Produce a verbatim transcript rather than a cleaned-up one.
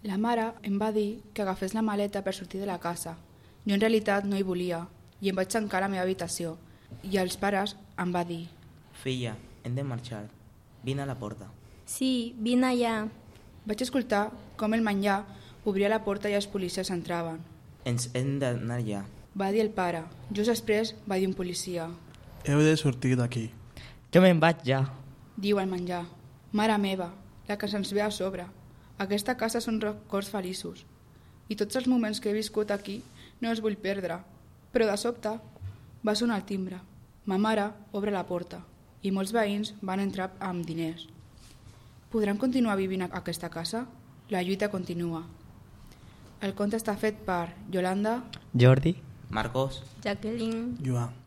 La mare em va dir que agafés la maleta per sortir de la casa. Jo en realitat no hi volia i em vaig tancar a la meva habitació. I els pares em va dir: Filla, hem de marxar. Vine a la porta. Sí, vine allà. Vaig escoltar com el menjar obria la porta i els policies entraven. Ens hem d'anar ja. Va dir el pare. Just després va dir un policia: Heu de sortir d'aquí. Jo me'n vaig ja. Diu el menjar: Mare meva, la que se'ns ve a sobre. Aquesta casa són records feliços. I tots els moments que he viscut aquí no els vull perdre. Però de sobte va sonar el timbre. Ma mare obre la porta i molts veïns van entrar amb diners. Podran continuar vivint a aquesta casa? La lluita continua. El conte està fet per Yolanda, Jordi, Marcos. Jacqueline. Joan.